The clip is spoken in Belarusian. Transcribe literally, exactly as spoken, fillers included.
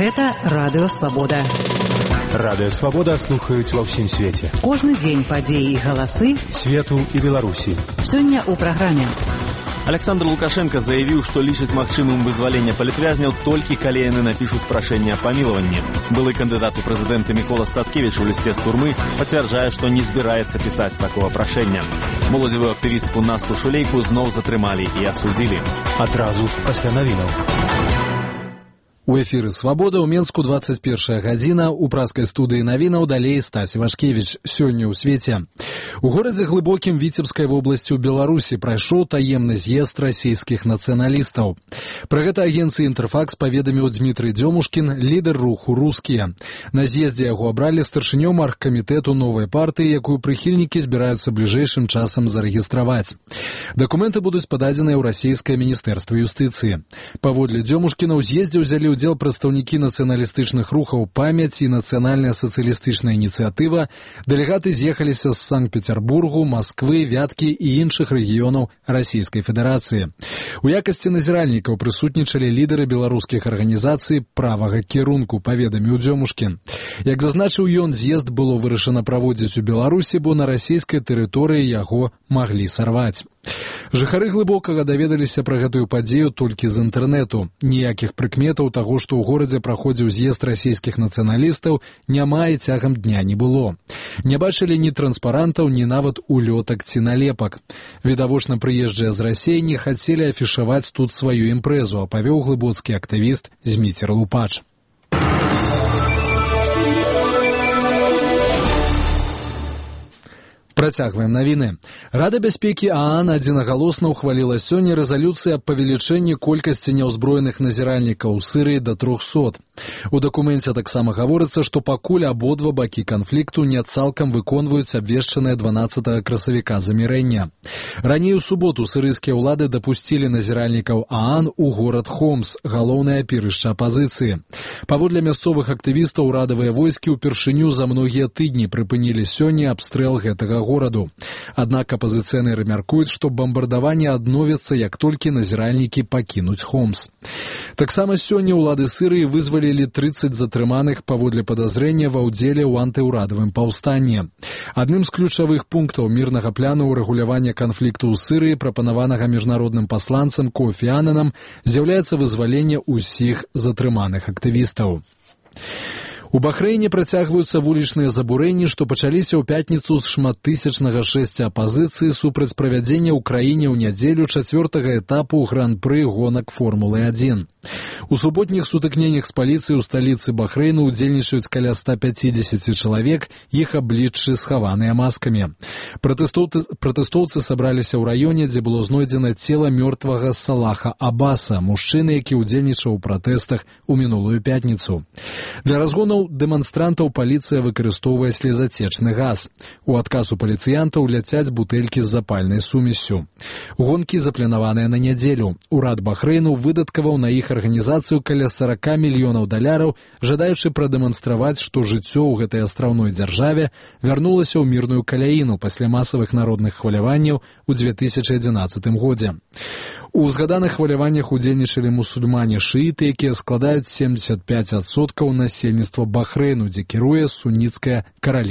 Гэта Радыё Свабода. Радыё Свабода слухаюць ва ўсім свеце. Кожны дзень падзеі і галасы свету і Беларусі. Сёння ў праграме. Александр Лукашенко заявіў, што лічыць магчымым вызвалення палітвязняў толькі калі яны напішуць прашэнне аб памілаванні. Былы кандыдат у прэзідэнты Мікола Статкевіч у лісце з турмы пацвярджае, што не збіраецца пісаць такога прашэння. Моладзевую актывістку Насту Шулейку зноў затрымалі і асудзілі. Адразу пасля навінаў. У эфіры «Свабода» ў Менску двадцать первая гадзіна, у праскай студыі навінаў далей Стась Івашкевіч. Сёння ў свеце. У горадзе Глыбокім Віцебскай вобласці ў Беларусі прайшоў таемны з'езд расійскіх нацыяналістаў. Пра гэта агенцыі «Інтэрфакс» паведаміў Дмітрый Дзёмушкін, лідар руху «Рускія». На з'ездзе яго абралі старшынём аргкамітэту новай партыі, якую прыхільнікі збіраюцца бліжэйшым часам зарэгістраваць. Дакументы будуць пададзеныя ў расійскае міністэрства юстыцыі. Паводле Дзёмушкіна ў з'ездзе ўзялі ўдзел прадстаўнікі нацыяналістычных рухаў «Памяць» і «Нацыянальная сацыялістычная ініцыятыва». Дэлегаты з'ехаліся з Санкт-Петербургу, Масквы, Вяткі і іншых рэгіёнаў Расійскай Федэрацыі. У якасці назіральнікаў прысутнічалі лідары беларускіх арганізацый правага кірунку, паведаміў Дзёмушкін. Як зазначыў ён, з'езд было вырашана праводзіць у Беларусі, бо на расійскай тэрыторыі яго маглі сарваць. Жыхары Глыбокага даведаліся пра гэтую падзею толькі з інтэрнэту. Ніякіх прыкметаў таго, што ў горадзе праходзіў з'езд расійскіх нацыяналістаў, няма і цягам дня не было. Не бачылі ні транспарантаў, ні нават улётак ці налепак. Відавочна прыезджыя з Расіі не хацелі афішаваць тут сваю імпрэзу, апавёў глыбоцкі актывіст Зміцер Лупач. Працягваем навіны. Рада бяспекі ААН адзінагалосна ўхваліла сёння рэзалюцыю аб павелічэнні колькасці няўзброеных назіральнікаў у Сырыі да трохсот. У дакуменце таксама гаворыцца, што пакуль абодва бакі канфлікту не цалкам выконваюць абвешчанае дванаццатага красавіка замірэння. Раней у суботу сырыйскія ўлады дапусцілі назіральнікаў ААН у горад Хомс, галоўнае апірышча апазіцыі. Паводле мясцовых актывістаў урадавыя войскі ўпершыню за многія тыдні прыпынілі сёння абстрэл гэтага гораду. Аднак апазіцыянеры мяркуюць, што бамбардаванне адновіцца, як толькі назіральнікі пакінуць Хомс. Таксама сёння ўлады Сырыі вызвалілі трыццаць затрыманых паводле падазрэння ва ўдзеле ў антыўрадавым паўстанні. Адным з ключавых пунктаў мірнага пляну ўрэгулявання канфлікту ў Сырыі, прапанаванага міжнародным пасланцам Кофі Аннанам, з'яўляецца вызваленне ўсіх затрыманых актывістаў. У Бахрэйне працягваюцца вулічныя забурэнні, што пачаліся ў пятніцу з шматтысячнага шэсця апазіцыі супраць правядзення ў краіне ў нядзелю чацвёртага этапу гран-пры гонак Формулы адзін. У суботніх сутыкненнях з паліцыяй у сталіцы Бахрэйну ўдзельнічаюць каля ста пяцідзесят чалавек, іх абліччы схаваныя маскамі. Пратэстоўцы, пратэстоўцы сабраліся ў раёне, дзе было знойдзена цела мёртвага Салаха Аббаса, мужчыны, які ўдзельнічаў у пратэстах у мінулую пятніцу. Для разгонаў дэманстрантаў паліцыя выкарыстоўвае слезацечны газ. У адказ у паліцыянтаў ляцяць бутэлькі з запальнай сумессю. Гонкі запланаваныя на нядзелю. Урад Бахрэйну выдаткаваў на іх арганізацыю каля сорок мільёнаў даляраў, жадаючы прадэманстраваць, што жыццё ў гэтай астраўной дзяржаве вярнулася ў мірную каляіну пасля масавых народных хваляванняў у две тысячы адзінаццатым годзе. У згаданых хваляваннях удзельнічалі мусульмане-шыіты, якія складаюць семьдесят пять адсоткаў насельніцтва Бахрэйну, дзе кіруе суніцкая каралеўская